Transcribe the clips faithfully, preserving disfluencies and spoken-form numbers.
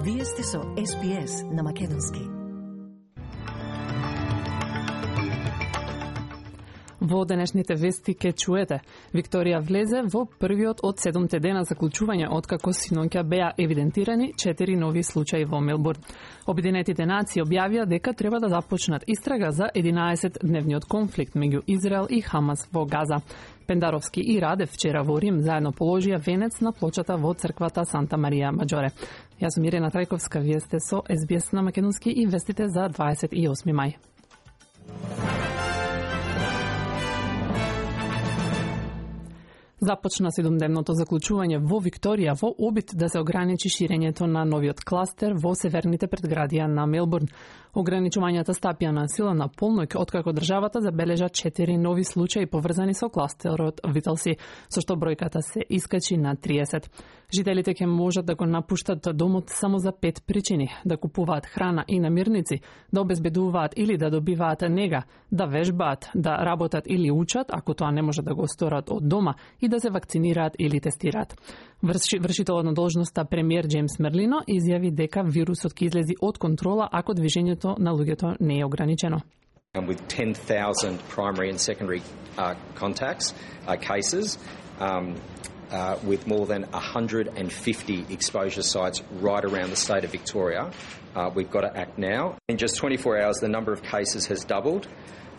Вие сте со Ес Би Ес на македонски. Во денешните вести ке чуете, Викторија влезе во првиот од седумте дена заклучување откако синоќа беа евидентирани четири нови случаи во Мелбурн. Обединетите нации објавија дека треба да започнат истрага за единаесет-дневниот конфликт меѓу Израел и Хамас во Газа. Пендаровски и Радев вчера во Рим заедно положија венец на плочата во црквата Санта Марија Маџоре. Јас сум Ирена Трајковска, вие сте со Ес Би Ес на македонски и вестите за дваесет и осми мај. Започна седумдневното заклучување во Викторија во обид да се ограничи ширењето на новиот кластер во северните предградија на Мелбурн. Ограничувањата стапија на сила на полноќ откако државата забележа четири нови случаи поврзани со кластерот Виталси, со што бројката се искачи на триесет. Жителите ќе можат да го напуштат домот само за пет причини: да купуваат храна и намирници, да обезбедуваат или да добиваат нега, да вежбаат, да работат или учат, ако тоа не може да го сторат од дома, и да се вакцинираат или тестираат. Врши, вршителот на должноста премиер Джеймс Мерлино изјави дека вирусот ќе излези од контрола ако движењето на луѓето не е ограничено. With ten thousand primary and secondary uh, contacts, uh, cases, um, uh, with more than one hundred fifty exposure sites right around the state of Victoria, uh, we've got to act now. In just twenty-four hours, the number of cases has doubled.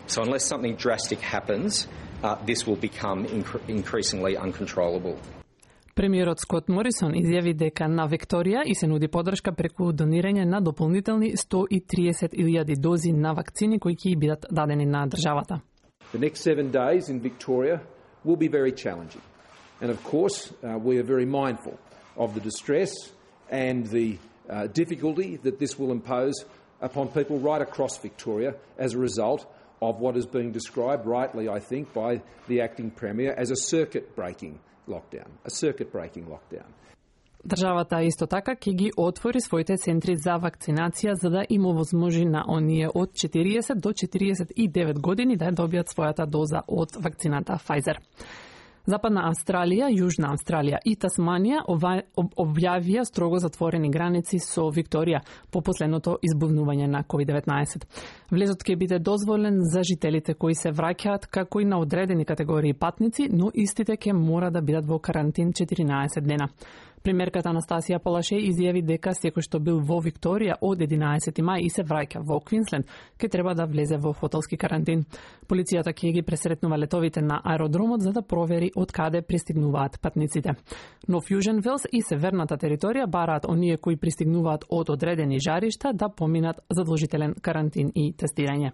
So unless something drastic happens, uh, this will become incre- increasingly uncontrollable. Премиерот Скот Морисон изјави дека на Викторија и се нуди поддршка преку донирање на дополнителни сто и триесет илјади дози на вакцини кои ќе бидат дадени на државата. The next seven days in Victoria will be very challenging. And of course, uh, we are very mindful of the distress and the uh, difficulty that this will impose upon people right across Victoria as a result of what is being described rightly, I think, by the acting Premier as a circuit-breaking lockdown, a circuit-breaking lockdown. Државата исто така ќе ги отвори своите центри за вакцинација за да им овозможи на оние од четириесет до четириесет и девет години да добијат својата доза од вакцината Pfizer. Западна Австралија, Јужна Австралија и Тасманија објавија строго затворени граници со Викторија по последното избувнување на ковид деветнаесет. Влезот ќе биде дозволен за жителите кои се враќаат како и на одредени категории патници, но истите ќе мора да бидат во карантин четиринаесет дена. Премиерката Анастасија Полаше изјави дека секој што бил во Викторија од единаесети мај и се враќа во Квинсленд, ќе треба да влезе во хотелски карантин. Полицијата ќе ги пресретнува летовите на аеродромот за да провери од каде пристигнуваат патниците. Но Фјужен Велс и северната територија бараат оние кои пристигнуваат од одредени жаришта да поминат задолжителен карантин и тестирање.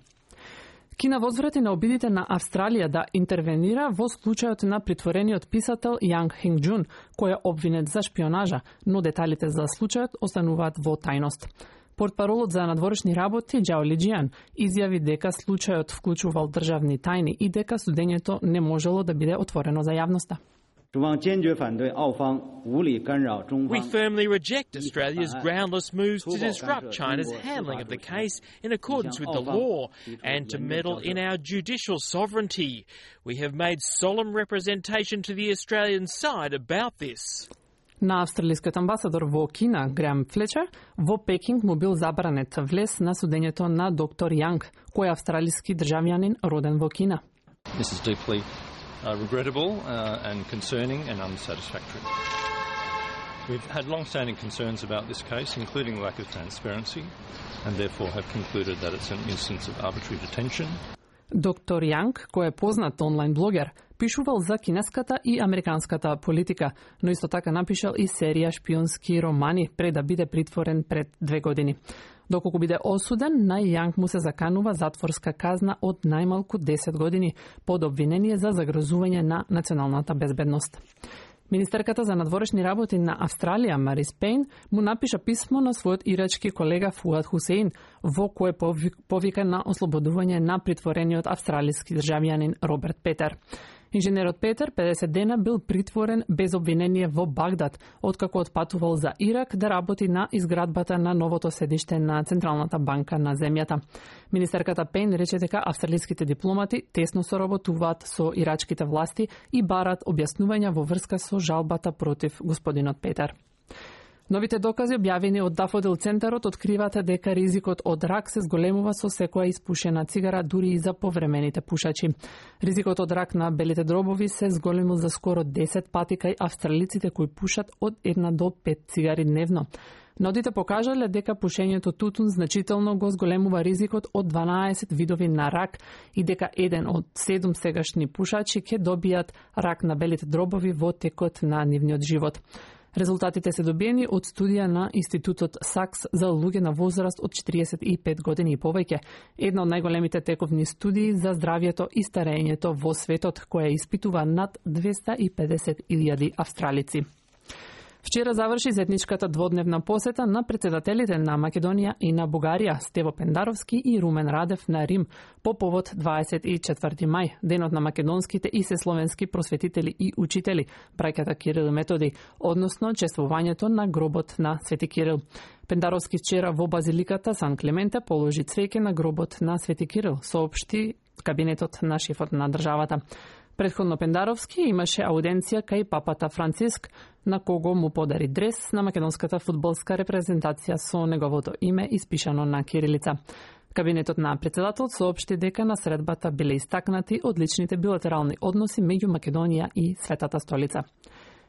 Кина возврати на обидите на Австралија да интервенира во случајот на притворениот писател Јанг Хинг Џун, кој е обвинет за шпионажа, но деталите за случајот остануваат во тајност. Портпаролот за надворешни работи Џао Лиџијан изјави дека случајот вклучувал државни тајни и дека судењето не можело да биде отворено за јавноста. We firmly reject Australia's groundless moves to disrupt China's handling of the case in accordance with the law and to meddle in our judicial sovereignty. We have made solemn representation to the Australian side about this. На австралискиот амбасадор во Кина, Греам Флечер, во Пекинг му бил забранет влез на судењето на доктор Јанг, кој е австралиски државјанин роден во Кина. This is deeply Uh, regrettable uh, and concerning and unsatisfactory. We've had long-standing concerns about this case, including lack of transparency, and therefore have concluded that it's an instance of arbitrary detention. Доктор Јанг, кој е познат онлайн блогер, пишувал за кинеската и американската политика, но исто така напишал и серија шпионски романи пред да биде притворен пред две години. Доколку биде осуден, на Јанг му се заканува затворска казна од најмалку десет години под обвинение за загрозување на националната безбедност. Министерката за надворешни работи на Австралија, Марис Пейн, му напиша писмо на својот ирачки колега Фуад Хусеин, во кое повика на ослободување на притворениот австралиски државјанин Роберт Петер. Инженерот Петер педесет дена бил притворен без обвинение во Багдад, откако отпатувал за Ирак да работи на изградбата на новото седиште на Централната банка на земјата. Министерката Пейн рече дека австралиските дипломати тесно соработуваат со ирачките власти и барат објаснувања во врска со жалбата против господинот Петер. Новите докази објавени од Дафодил центарот откриваат дека ризикот од рак се зголемува со секоја испушена цигара, дури и за повремените пушачи. Ризикот од рак на белите дробови се зголемил за скоро десет пати кај австралиците кои пушат од една до пет цигари дневно. Нодите покажале дека пушењето тутун значително го зголемува ризикот од дванаесет видови на рак и дека еден од седум сегашни пушачи ќе добијат рак на белите дробови во текот на нивниот живот. Резултатите се добиени од студија на Институтот Сакс за луѓе на возраст од четириесет и пет години и повеќе, една од најголемите тековни студии за здравјето и старењето во светот, која испитува над двеста и педесет илјади австралици. Вчера заврши заедничката дводневна посета на председателите на Македонија и на Бугарија, Стево Пендаровски и Румен Радев на Рим по повод дваесет и четврти мај, денот на македонските и сесловенски просветители и учители, браќата Кирил и Методи, односно чествувањето на гробот на Свети Кирил. Пендаровски вчера во базиликата Сан Клементе положи цвеќе на гробот на Свети Кирил, соопшти кабинетот на шефот на државата. Предходно Пендаровски имаше ауденција кај папата Франциск, на кого му подари дрес на македонската фудбалска репрезентација со неговото име испишано на кирилица. Кабинетот на председател соопшти дека на средбата биле истакнати одличните билатерални односи меѓу Македонија и Светата столица.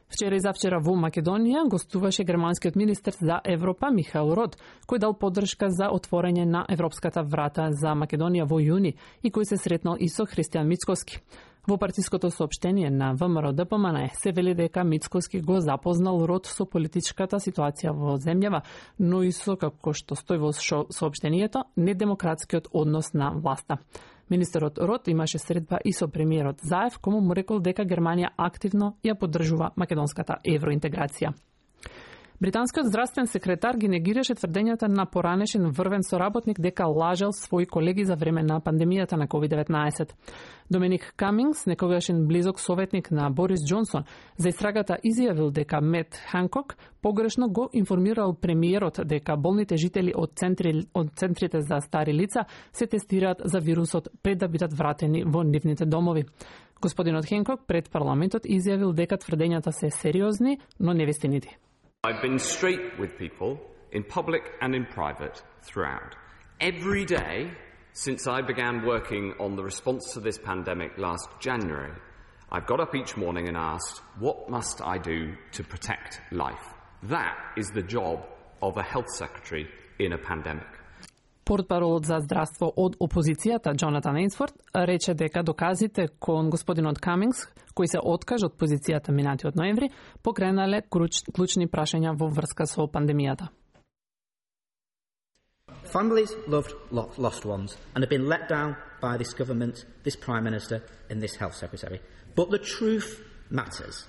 Вчера и завчера во Македонија гостуваше германскиот министер за Европа Михаел Рот, кој дал поддршка за отворање на европската врата за Македонија во јуни и кој се сретнал и со Христијан Мицкоски. Во партиското соопштение на ВМРО Д П М Н се вели дека Мицкоски го запознал Рот со политичката ситуација во земјава, но и со, како што стои во соопштението, недемократскиот однос на власта. Министерот Рот имаше средба и со премиерот Заев, кому му рекол дека Германија активно ја поддржува македонската евроинтеграција. Британскиот здравствен секретар ги негираше тврдењата на поранешен врвен соработник дека лажел своји колеги за време на пандемијата на ковид деветнаесет. Доминик Камингс, некогашен близок советник на Борис Џонсон, за истрагата изјавил дека Мет Ханкок погрешно го информирал премиерот дека болните жители од, центри, од центрите за стари лица се тестираат за вирусот пред да бидат вратени во нивните домови. Господинот Ханкок пред парламентот изјавил дека тврдењата се сериозни, но невистинити. I've been straight with people in public and in private throughout. Every day since I began working on the response to this pandemic last January, I've got up each morning and asked, what must I do to protect life? That is the job of a health secretary in a pandemic. Портпаролот за здравство од опозицијата Джонатан Ейнсворт рече дека доказите кон господинот Камингс, кој се откажа од позицијата минатиот ноември, покренале клучни прашања во врска со пандемијата. Families loved lost ones and have been let down by this government, this Prime Minister and this Health Secretary. But the truth matters.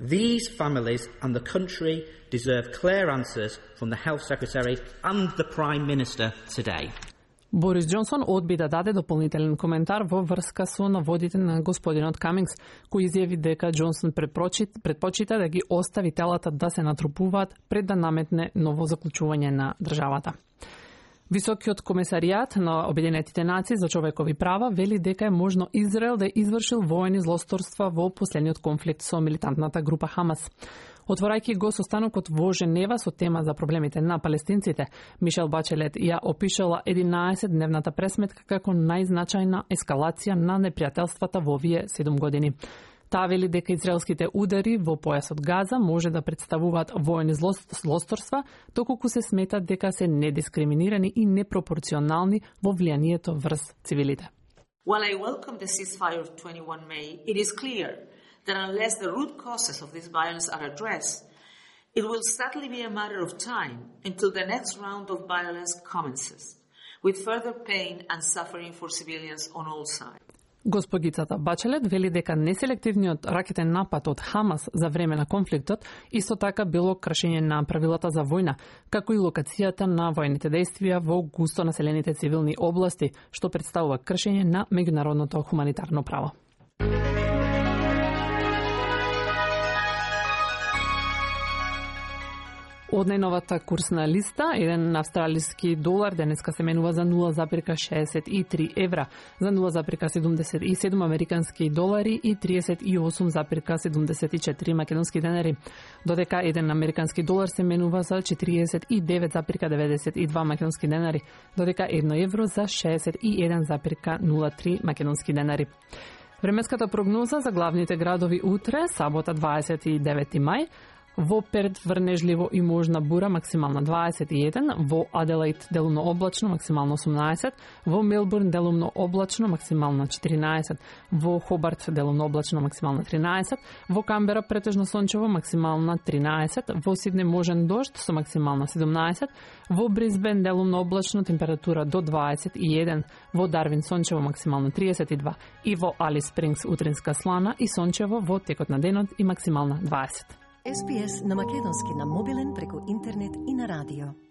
These families and the country deserve clear answers from the Health Secretary and the Prime Minister today. Борис Џонсон одби да даде дополнителен коментар во врска со наводите на господинот Камингс, кој изјави дека Џонсон предпочита да ги остави телата да се натрупуваат пред да наметне ново заклучување на државата. Високиот комесаријат на Обединетите нации за човекови права вели дека е можно Израел да извршил воени злосторства во последниот конфликт со милитантната група Хамас. Отворајќи го состанокот во Женева со тема за проблемите на палестинците, Мишел Бачелет ја опишала единаесетдневната пресметка како најзначајна ескалација на непријателствата во овие седум години. Таа вели дека израелските удари во појасот Газа може да представуваат воени злосторства, доколку се смета дека се недискриминирани и непропорционални во влијанието врз цивилите. While I welcome the ceasefire of twenty-first of May, it is clear that unless the root causes of this violence are addressed, it will sadly be a matter of time until the next round of violence commences, with further pain and suffering for civilians on all sides. Госпогицата Бачелет вели дека неселективниот ракетен напад од Хамас за време на конфликтот исто така било кршење на правилата за војна, како и локацијата на војните действија во густо населените цивилни области, што представува кршење на меѓународното хуманитарно право. Од најновата курсна листа, еден австралиски долар денеска се менува за нула зарем шеесет и три евра, за нула зарем седумдесет и седум американски долари и триесет и осум зарем седумдесет и четири македонски денари, додека еден американски долар се менува за четириесет и девет зарем деветдесет и два македонски денари, додека едно евро за шеесет и еден зарем нула три македонски денари. Временската прогноза за главните градови утре, сабота дваесет и девети мај, во Перт врнежливо и можна бура, максимална дваесет и еден, во Аделаид делумно облачно, максимално осумнаесет, во Мелбурн делумно облачно, максимално четиринаесет, во Хобарт делумно облачно, максимално тринаесет, во Камбера претежно сончево, максимална тринаесет, во Сидне можен дожд со максимална седумнаесет, во Брисбен делумно облачно, температура до дваесет и еден, во Дарвин сончево, максимално триесет и два и во Алис Спрингс утринска слана и сончево во текот на денот и максимална дваесет. Ес Би Ес на македонски на мобилен преку интернет и на радио.